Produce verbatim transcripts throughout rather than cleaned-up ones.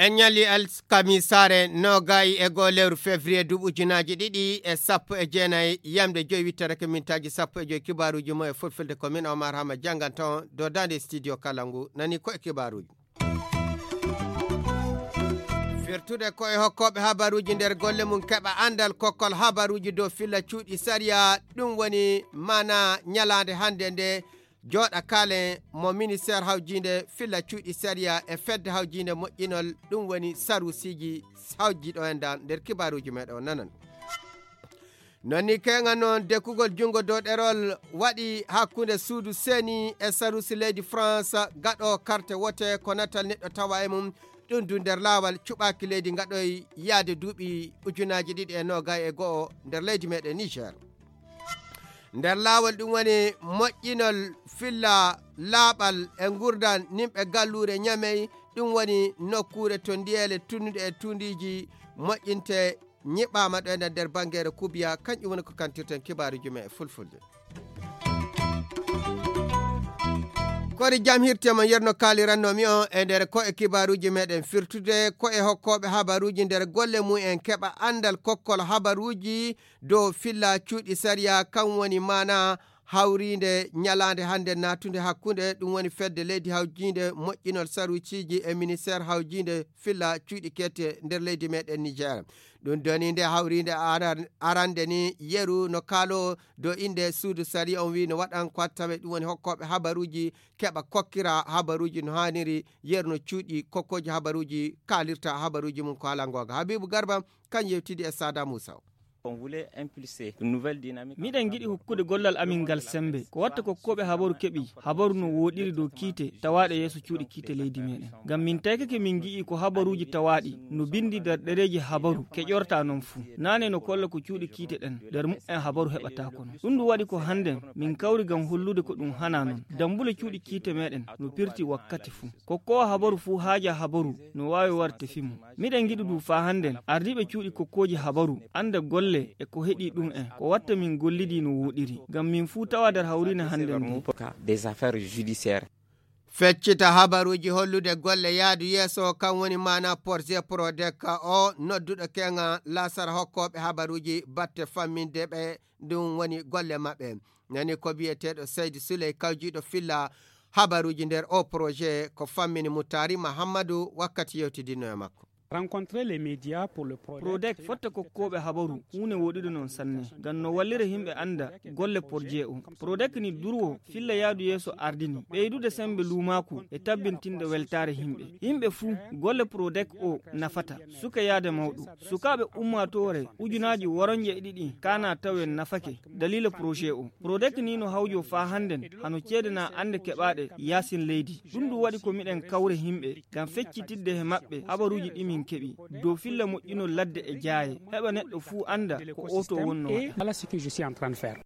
En ñalli alkamisaare noogay e goo lewru février duuɓi ujunaaji ɗiɗi e sappo e jeenayi, yamde joyi wittere ko mintaaji sappo e joyi. Kibaaruuji mo e fulfulde ko min Omar Hama jannganto on dow daande studio kala ngu nani ko e kibaaruuji. Firtude ko e hokkooɓe habaruuji nder golle mum keɓa anndal kokkol habaruuji dow filla cuuɗi sariya, ɗum woni maana ñalaande hannde nde jooɗa kaalen mo ministeer hawjiinde filla cuuɗi sariya e fedde hawjiinde moƴƴinol, ɗum woni saruusiiji hawji ɗo en dan nder kibaaruuji meɗen o nanan. Non ni keŋa noon dekkugol junngo dow ɗerol waɗi hakkunde suudu seni e saruusi leydi France gaɗo karte wote ko natal neɗɗo tawa e mum, ɗum du nder laawal cuɓaaki leydi ngaɗoy yaade duuɓi ujunaaji ɗiɗi e noogay e go'o nder leydi meɗen Niger. Nder laawol ɗum woni moƴƴinol filla laaɓal e ngurdan nimɓe galluure Ñamey, ɗum woni nokkuure to ndiyeele tunnuɗe e tundiiji moƴƴinte ñiɓaama ɗo e nder banngeere Kubiya, kanƴum woni ko kantirten kibaaruuji men e fulfulde. Kori jam hirte mo yerno kaaliranno mi on e nder ko e kibaaruuji meɗen firtude ko e hokkooɓe habaruuji nder golle mum en keɓa anndal kokkol habaruuji dow filla cuuɗi sariya, kan woni maana hawriinde ñalaande hannde naatude hakkunde ɗum woni fedde leydi hawjiinde moƴƴinol saruusiiji e ministeer hawjiinde filla cuuɗi kette nder leydi meɗen Niger. Ɗum doni nde hawriinde aran- arande ni yeru no kaalo dow innde suudu sariya on wi no waɗan ko tawe ɗum woni hokkooɓe habaruuji keɓa kokkira habaruuji no haaniri yeru no cuuɗi kokkooji habaruuji kaalirta habaruuji mum ko haala ngoonga. Habibu Garba kan yewtidi e Sada Moussa. On voulait impulser une nouvelle dynamique. Miɗen ngiɗi hokkude gollal amin ngal semmbe. Ko watta ko koɓe habaru keɓi, habaru no wooɗiri dow kiite tawaaɗe yeeso cuuɗi kiite leydi meɗen. Ngam min taykake min ngi'i ko habaruuji tawaaɗi no binndi nder ɗereeji habaru keƴorta non fuu. Naane no kolla ko cuuɗi kiite ɗen nder muɓɓen habaru heɓata kono. Ɗum ɗum waɗi ko hannden min kawri ngam hollude ko ɗum hana non. Dammbule cuuɗi kiite meɗen no pirti wakkati fuu. Kokkoowo habaru fuu haaja habaru no waawi warde fimo. Miɗen ngiɗi du faa hannden ardiiɓe cuuɗi kokkooji habaru annda golle e ko heɗi ɗum en. Ko watta min gollidii no wooɗiri. Ngam min fuu tawa nder hawriine hannden ndee. Des affaires judiciaires. Feccita habaruuji hollude golle yaadu yeeso kan woni maana projet Prodec o nodduɗo keŋa laasara hokkooɓe habaruuji batte famminde ɓe ɗum woni golle maɓɓe. Nani ko biyeteeɗo Seydi Suley kawjiiɗo filla habaruuji nder o projet ko fammini Mutaari Mahammadu wakkati yewtidinno e makko. Rencontrer les médias pour le Prodec. Prodec fotta kokkooɓe habaru huunde woɗude noon sanne ngam no wallira yimɓe annda golle projet o. Prodec ni durwo filla yaadu yeeso ardini ɓeydude semmbe luumaaku e tabbintinde weltaare yimɓe. Yimɓe fuu golle Prodec o nafata suka yaade mawɗo. Sukaaɓe ummaatoore ujunaaji woronje e ɗiɗi kana tawen nafake daliila projet o. Prodec ni no hawjo faa hannden hano ceede na annde keɓaaɗe yaasin leydi. Ɗum ɗum waɗi ko miɗen kawre yimɓe ngam feccitidde he maɓɓe habaruuji ɗi min keɓi dow filla moƴƴinol ladde e jaaye. Heɓa neɗɗo fuu annda ko oto wonno waɗa. Voilà ce que je suis en train de faire.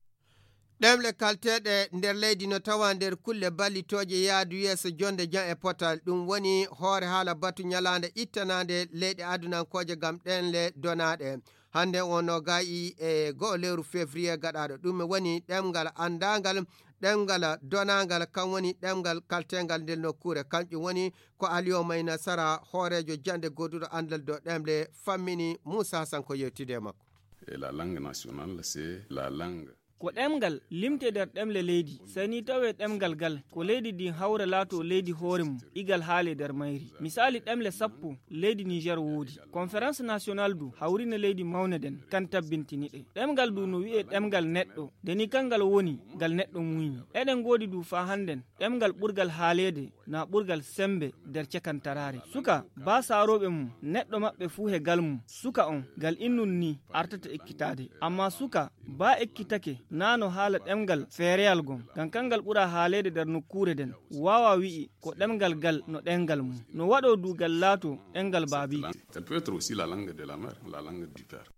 Ɗemle kalteeɗe nder leydi no tawa nder kulle ballitooje yaadu yeeso jonde jam e potal. Ɗum woni hoore haala batu ñalaande ittanaande leyɗe adunankooje ngam ɗemle donaaɗe. Hannde o no gayi e go'o lewru février gaɗaaɗo. Ɗum woni ɗemngal anndaangal, ɗemngal donaangal, kan woni ɗemngal kalteengal nder nokkuure. Kanƴum woni ko Aliyo May Nasara, hooreejo jaŋde gooduɗo anndal dow ɗemle, fammini Muusa Hasan ko yewtide e makko. Et la langue nationale, c'est la langue. Ko ɗemngal limte nder ɗemle leydi, sey ni tawee ɗemngal gal ko leydi ndin hawra laatoo leydi hoore mum, igal haalee nder mayri. Misaali ɗemle sappo leydi Niger woodi. Conférence nationale du hawrine leydi mawne nden kan tabbintini ɗe. Ɗemngal du no wi'ee ɗemngal neɗɗo, nde ni kangal woni ngal neɗɗo muuyni. Eɗen ngoodi du faa hannden ɗemngal ɓurgal haaleede na ɓurgal semmbe nder cakantaraare. Suka, baa saarooɓe mum, neɗɗo maɓɓe fuu he gal mum, suka on, ngal innun ni artata ekkitaade. Ammaa suka, baa ekkitake, naa no haala ɗemngal feereyal ngon, ngam kangal ɓura haaleede nder nokkuure nden, waawa wi'i ko ɗemngal gal no ɗemngal mum. No waɗoo du ngal laatoo ɗemngal baabiiko. Elle peut être aussi la langue de la mère, la langue du père.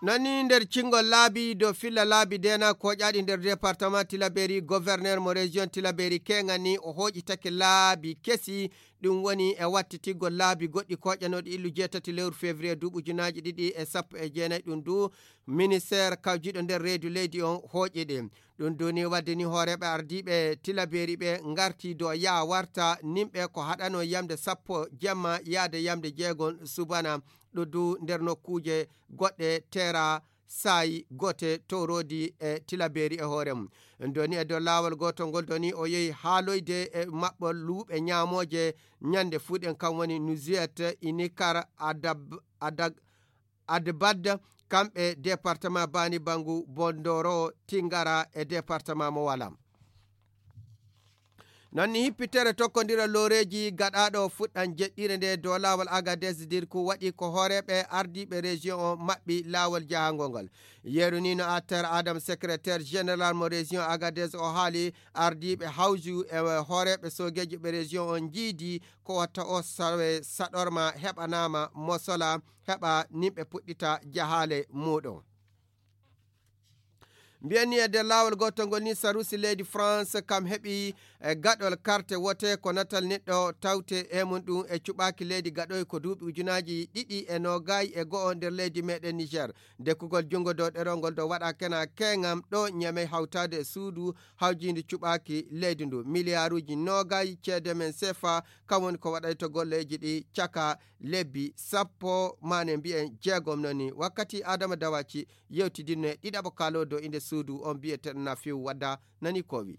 Nani nder cingol laabi dow filla laabi dena koƴaɗi nder département Tilaberi, gouverneur mo région Tilaberi keŋani o hoƴitake laabi kesi Ɗum woni e wattitigol laabi goɗɗi koƴanooɗi illu jeetati lewru février duuɓi ujunaaji ɗiɗi e sappo e jeenayi. Ɗum du ministeer kawjiiɗo nder reedu leydi on hooƴi ɗi. Ɗum du ni wadde ni hooreeɓe ardiiɓe tilabeeri ɓe ngarti do yaa warta nimɓe ko haɗano yamde sappo jemma yaade yamde jeegon subana. Ɗo du nder nokkuuje goɗɗe teera saayi goote towroodi e tilabeeri e hoore mum. Doni e dow laawol gootol ngol doni o yehi haaloyde e maɓɓol luuɓe ñaamooje ñande fuɗen kam woni Nuzuyet, Inikar, Adab, Adag, Adbad, kamɓe département Bani Bangu, Bondoro, Tingara e département mo wala. Non ni hippitere tokkondira looreeji gaɗaaɗo fuɗɗan jeɗɗire nde dow laawol Agadez Dirku waɗi ko hooreeɓe ardiiɓe région o maɓɓi laawol jahangol ngol. Yeru ni no attar Adam secrétaire général mo région Agadez o haali ardiiɓe hawju e hooreeɓe soogeeji ɓe région o njiidi ko watta o sawe saɗorma heɓanaama mosola heɓa nimɓe puɗɗita jahaale muuɗum. Mbiyen ni e nder laawol gootol ngol ni sarusi leydi France kam heɓi e gaɗol karte wote ko natal neɗɗo tawte e mum ɗum e cuɓaaki leydi gaɗoy ko duuɓi ujunaaji ɗiɗi e noogay e go'o nder leydi meɗen Niger. Dekkugol junngo dow ɗerol ngol dow waɗa kena keŋam ɗo ñamey hawtaade e suudu hawjiindi cuɓaaki leydi ndu miliyaaruuji noogay ceede men sefa kam woni ko waɗayto golleeji ɗi caka lebbi sappo mane mbiyen jeegom noni wakkati Adama Dawaci yewtidinno e ɗiɗaɓo kaalo dow inde suudu on biyeteɗo Nafiu Wadda nani ko wi.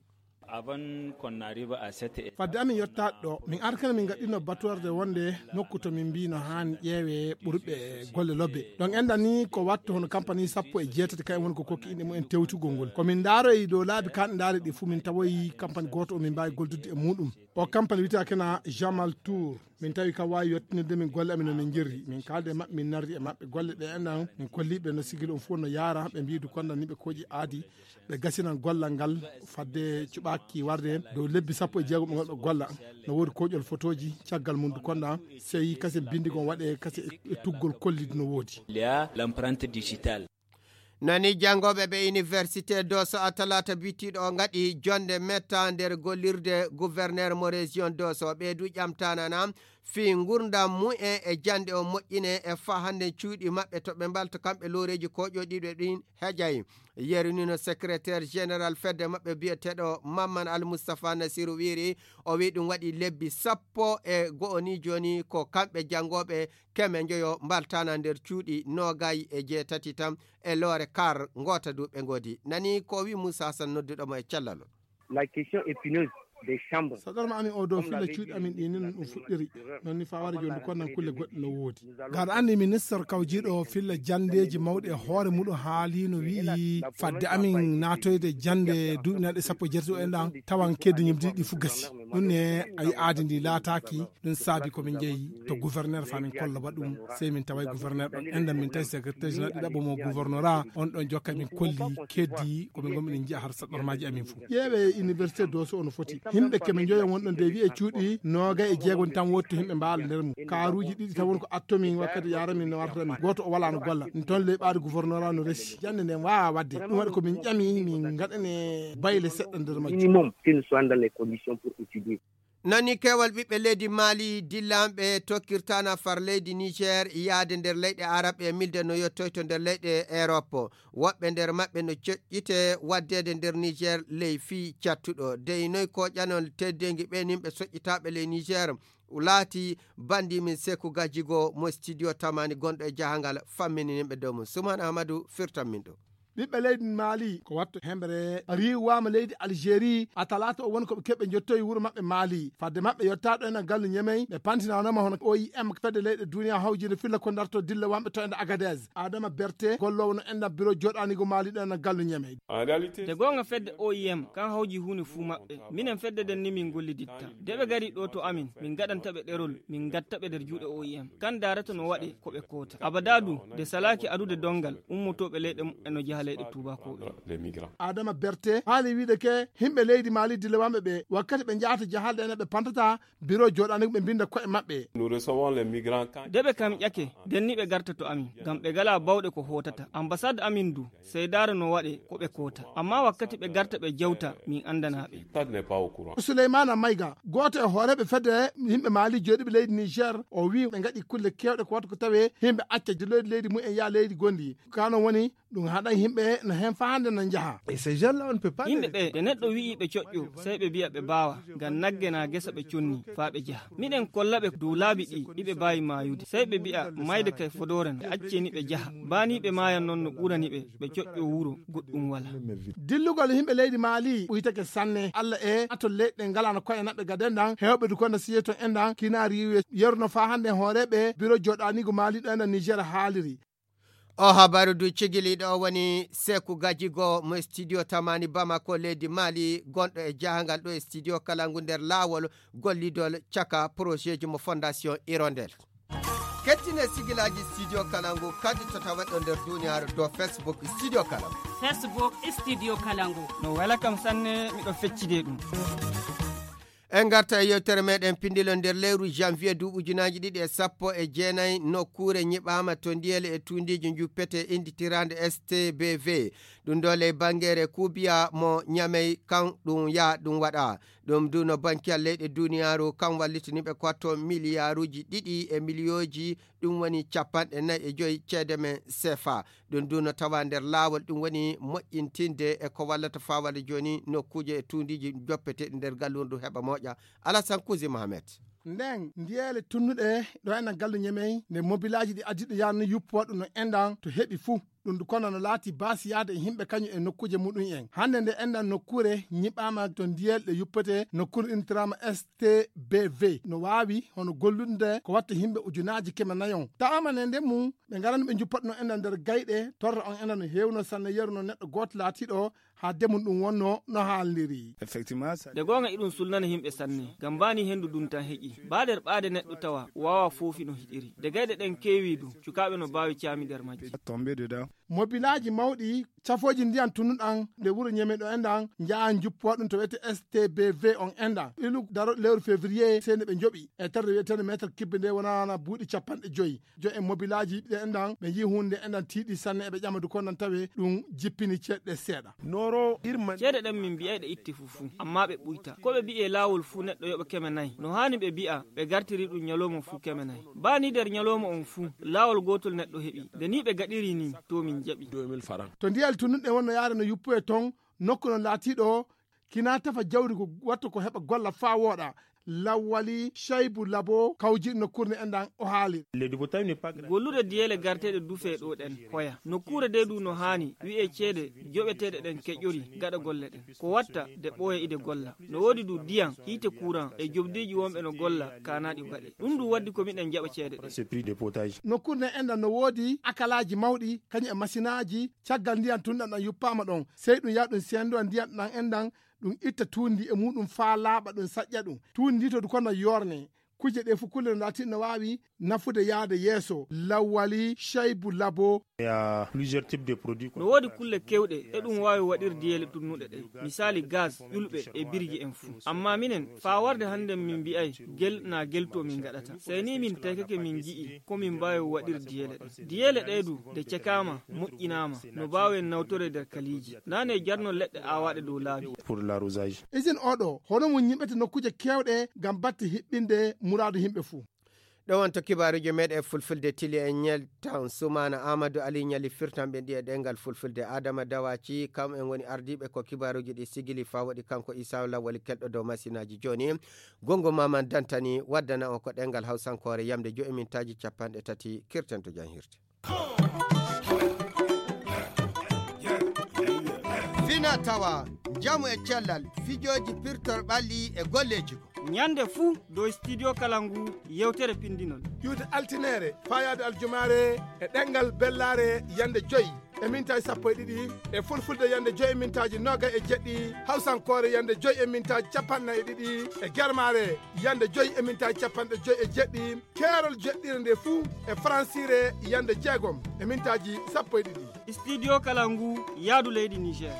Avant qu'on arrive à cette étape, fadde amin yettaade ɗo min arkana min gaɗɗino batorde wonde nokku to min mbino haan ƴeewe ɓurɓe golle lobbe ɗon enɗan ni ko watto hono kampani sappo e jeetati kayen woni ko kokki inɗe mumen tewtugol ngol ko min ndaaroyi dow laabi kanɗe ndaari ɗi fuu min tawoyi kampani gooto o min mbaawi goldude e muɗum. O kampani wiyata kena Jamal Tour. Min tawi kam waawi yottinirde min golle amin no min njirri min kaaldi e maɓɓe min narri e maɓɓe golle ɗe enɗan min kolliɓe no sigil on fof no yaara ɓe mbiyi du konda ni ɓe kooƴi aadi ɓe gasinan gollal ngal fadde cuɓaaki warde heen dow lebbi sappo e jeegom ɓe ngonɓe golla. No woodi kooƴol fotooji caggal mum du konda sey kase bindigol waɗe kase e tuggol kollidi no woodi. Il y a l'empreinte digitale. Nani janngooɓe ɓe université doso a talaata bitiiɗo o ngaɗi jonde metta nder gollirde gouverneur mo région doso ɓe du ƴamtanana fii ngurndam mumen e jannde o moƴƴine e faa hannde cuuɗi maɓɓe to ɓe mbalta kamɓe looreeji koƴooɗiiɓe ɗin heƴay. Yeru ni no secrétaire général fedde maɓɓe biyeteeɗo Mamman Al Mustapha Nasiru wiiri o wii ɗum waɗi lebbi sappo e go'o ni jooni ko kamɓe janngooɓe keme njoyo mbaltana nder cuuɗi noogay e jeetati tan e loore kar ngoota du ɓe ngoodi nani ko wi Moussa Hassan nodduɗo mo e cellal. La question épineuse des chambres. Saɗorma amin o dow filla cuuɗi amin ɗi nin ɗum fuɗɗiri non ni faware jondi konnan kulle goɗɗe no woodi. Gaɗa anndi ministre kawjiiɗo filla janndeeji mawɗi e hoore muɗum haalino wi'i fadde amin naatoyde jannde duuɓi naɗe sappo e jeetati o enɗan tawan keddi ñimdi ɗi fu gasi. Ɗum ne ayi aadi ndi laataaki. Ɗum saabi ko min njehi to gouverneur fa min kolla ba ɗum sey min taway gouverneur ɗon enɗan min tawi secrétaire général ɗiɗaɓo mo gouverneur a on ɗon jokka min kolli keddi ko min gonmi ɗen jiya har saɗɗormaji amin fof. Ƴeewe université doso ono foti himɓe keme joyo wonɗon de wi'e cuuɗi noogay e jeegon tan wotto himɓe mbaala nder mum karuji ɗiɗi tan woni ko attomin wakkati yaramin no wartata min goto o wala no golla. Ɗum toon leyɓaade gouverneur a no resi jannde nden wawa wadde ɗum waɗi ko min ƴami min gaɗane bayle seɗɗa nder majjum. Minimum que nous soyons dans les conditions pour étudier. Nani keewal ɓiɓɓe leydi Mali dillanɓe tokkirtana far leydi Niger yaade nder leyɗe Arab e milde no yettoyto nder leyɗe Europe. Woɓɓe nder maɓɓe no coƴƴite waddeede nder Niger ley fii cattuɗo. Dey noy koƴanol teddeengi ɓe nimɓe soƴƴitaaɓe ley Niger laati bandi min Seku Gajigo mo studio tamani gonɗo e jahangal fammini nimɓe dow mum. Suman Ahmadu firtan min ɗum. Ɓiɓɓe leydi Mali ko watto hemɓere riiwaama leydi Algérie a talaata o woni ko ɓe keɓe njottoyi wuro maɓɓe Mali fadde maɓɓe yottaɗo ena gallu ñemey ɓe pantinanoma hono O I M fedde leyɗe duniya hawjinde filla ko darto dilla wamɓe to enda Agadez. Adama Berte gollowo no enda biro joɗanigo Mali ɗo ena gallu ñemey. Te goonga fedde O I M kan hawji huunde fuu maɓɓe. Minen fedde nden ni min golliditta. De ɓe gari ɗo to amin min gaɗanta ɓe ɗerol min gatta ɓe nder juuɗe O I M kan daarata no waɗe ko ɓe koota abada du de salaaki adude donngal ummotooɓe leyɗe muɓɓen no jaha. Tuubakooɓe. Adama Berte haali wiide ke himɓe leydi Mali dilewanɓe ɓe wakkati ɓe njahata jahalde ene ɓe pantata biro joɗanigo ɓe mbinda koye maɓɓe. De ɓe kam ƴake denni ɓe garta to amin ngam ɓe gala bawɗe ko hotata ambassade amin du. Seydaare no waɗe ko ɓe koota amma wakkati ɓe garta ɓe jewta min andana ɓe. Souleymana Mayga, gooto e hooreeɓe fedde yimɓe Mali jooɗiiɓe leydi Niger, o wii ɓe ngaɗi kulle keewɗe ko waɗi ko tawee yimɓe acca leydi leydi mumen yaa leydi gonndi. Kano woni ɗum haɗa yimɓe no heen faa hannde no njaha. Yimɓe ɓe, ɓe neɗɗo wi'i ɓe coƴƴo, sey ɓe mbi'a ɓe mbaawa, ngam nagge naa gesa ɓe conni faa ɓe njaha. Miɗen kolla ɓe dow laabi ɗi iɓe mbaawi maayude. Sey ɓe mbi'a mayde kay fodoore na, ɓe acceni ɓe njaha. Baa nii ɓe maayan noon no ɓurani ɓe, ɓe coƴƴo wuro goɗɗum walaa. Dillugol yimɓe leydi Maali ɓuytake sanne. Alla e ato leyɗe ngalano koye naɓɓe gaden ɗan, heewɓe du kono siye to en ɗan, kina riiwe yeruno faa hannde hooreeɓe biro joɗanigo Maali ɗo en Niger haaliri. O habaru du cigiliɗo o woni Seku Gajigo mo studio Tamani Bamako leydi Mali, gonɗo e jahangal ɗo e studio kala ngu nder laawol gollidol caka projet ji mo Fondation Hirondelle. Kettine sigilaji studio kala ngu kadi to tawaɗo nder duniyaaru dow Facebook studio kala ngu. Facebook studio kala ngu. No wela kam sanne, miɗo feccide ɗum. En ngarta e yewtere meɗen pindilo nder lewru janvier du ujunaaji ɗiɗi e sappo e jeenayi. Nokkuure nyiɓaama to ndiyele e tuundiiji njuppete inditiraande S T B V. Ɗum ɗo ley bangeere kuubiya mo Ñamey kan ɗum yaa ɗum waɗa. Ɗum du no bankiyal leyɗe duniyaaru kan wallitini ɓe ko watto miliyaaruuji ɗiɗi e miliyooji, ɗum woni capanɗe nayi e joyi ceede men sefa. Ɗum du no tawa nder laawol, ɗum woni moƴƴintinde e ko wallata faa walla jooni nokkuuje e tuundiiji joppeteeɗi nder gallundu heɓa moƴƴa. Alasan Kuzi Mohamed. Nden ndiyeele tunnuɗe ɗo enen gallu Ñemey nde mobilaaji ɗi addiɗo yaani yuppo waɗu no enɗan to heɓi fuu. Ɗum du kono no laati baasi yaade e yimɓe kañum e nokkuuje muɗum en. Hannde nde enɗan nokkuure nyiɓaama to ndiyel ɗe yuppete nokkuure intirama S T B V no waawi hono gollude ko watta yimɓe ujunaaji keme nayon. Taama ne nde mum ɓe ngarani ɓe njuppata no enɗan nder gayɗe torra on enɗan no heewno sanne yeru no neɗɗo gooto laatiiɗo haa demun ɗum wonno no haalniri. Effectivement, ça- Nde goonga iɗum sulnana yimɓe sanne, ngam mbaani henndu ndun tan heƴi. Baa nder ɓaade neɗɗo tawa waawa foofi no hiɗiri. Nde gayɗe ɗen keewi du, cukaaɓe no mbaawi caami nder majji. Tombé dedans. Mobilaaji mawɗi, cafooji ndiyan tunnuɗan nde wuro Ñeme ɗo enɗan, njaha njuppo ɗum to wiyete S T B V on enɗan. Ilu daro lewru février, sey nde ɓe njoɓi. E terde wiyeteende meetar kibbe nde wonana buuɗi capanɗe joyi. Jo'en mobilaaji ɗe enɗan, ɓe nji'i huunde enɗan tiiɗi sanne eɓe ƴama du ko nan tawe ɗum jippini ceeɗe seeɗa. Noro irma. Ceede ɗen min mbi'ay ɗe itte fuu fuu, amma ɓe ɓuyta. Ko ɓe mbi'i e laawol fuu neɗɗo yoɓa keme nayi. No haani ɓe mbi'a ɓe gartiri ɗum ñalawma fuu keme nayi. Baa ni nder ñalawma on fuu, laawol gootol neɗɗo heɓi. Nde ni ɓe gaɗiri ni, to min jaɓi. Deux mille francs. To ndiyal tunnuɗe wonno yaade no yuppoye ton, nokku no laatiiɗo kina tefa jawdi ko wattu ko heɓa golla faa wooɗa. Lawwali Shaybu Labo kawjiɗo nokkuure nde enɗan o haali. Le dépotage n'est pas gratuit. Gollude diyeele garteeɗe dufee ɗo ɗen hoya. Nokkuure de du no haani wi'ee ceede joɓeteeɗe ɗen keƴƴori gaɗa golle ɗen. Ko watta de ɓooya ide golla. No woodi du diyan, hiite kuran e jobdiiji wonɓe no golla kaanaaɗi baɗe. Ɗum du waddi ko miɗen jaɓa ceede ɗen. Ce prix dépotage. Nokkuure nde enɗan no woodi akalaaji mawɗi, kañum e masinaaji, caggal ndiyan tunɗan ɗan yuppaama ɗon. Sey ɗum yaha ɗum sendo ndiyan ɗan enɗan ɗum itta tuundi e muɗum faa laaɓa ɗum saƴƴa ɗum. Tuundi ndi to du kono yorne. Kuje ɗe fuu kulle no laati no waawi nafude yaade yeeso. Lawwali Shaybu Labo. Il y a plusieurs types de produits, quoi. No woodi kulle kewɗe e ɗum waawi waɗir diyeele tunnuɗe ɗe. Misaali gaz, ƴulɓe e birji en fuu. Amma minen, faa warde hannden min mbi'ay gel naa gel to min ngaɗata. Sey ni min taykake min ngi'i ko min mbaawi waɗir diyeele ɗe. Diyeele ɗe du, de cekaama, moƴƴinaama, no mbaawen nawtore nder kaliiji. Naane jarno leɗɗe aawaaɗe dow laabi. Pour l'arrosage. Isin oɗo, hono mum ñiɓete nokkuuje keewɗe ngam batte hiɓɓinde muraadu yimɓe fuu. Ɗo wonto kibaaruuji meɗen fulfulde tili e ñel tan. Sumaana Amadou Ali ñali firtan ɓe ɗi e ɗengal fulfulde. Adama Dawaci, kam en woni ardiiɓe ko kibaaruuji ɗi sigili faa waɗi kanko Isa Lawali kelɗo dow masinaaji jooni. Gongo Maman Dantani waddana on ko ɗengal hawsankoore yamde joyi mintaaji capanɗe tati kirten to janhirde. Fina tawa, njamu e cellal, fijooji pirtor ɓalli e golleeji ko. Ñande fuu dow studio kala ngu yewtere pindinol. Ƴuwde altineere, faayaade aljumaare e ɗengal bellaare yande joyi e mintaaji sappo e ɗiɗi, e fulfulde yande joyi e mintaaji noogay e jeɗɗi, hawsankoore yande joyi e mintaaji capanɗe nayi e ɗiɗi, e germaare yande joyi e mintaaji capanɗe joyi e jeɗɗi, keerol jeɗɗire nde fuu e faransiire yande jeegom e mintaaji sappo e ɗiɗi. Studio Kalangu, yaadu leydi Niger.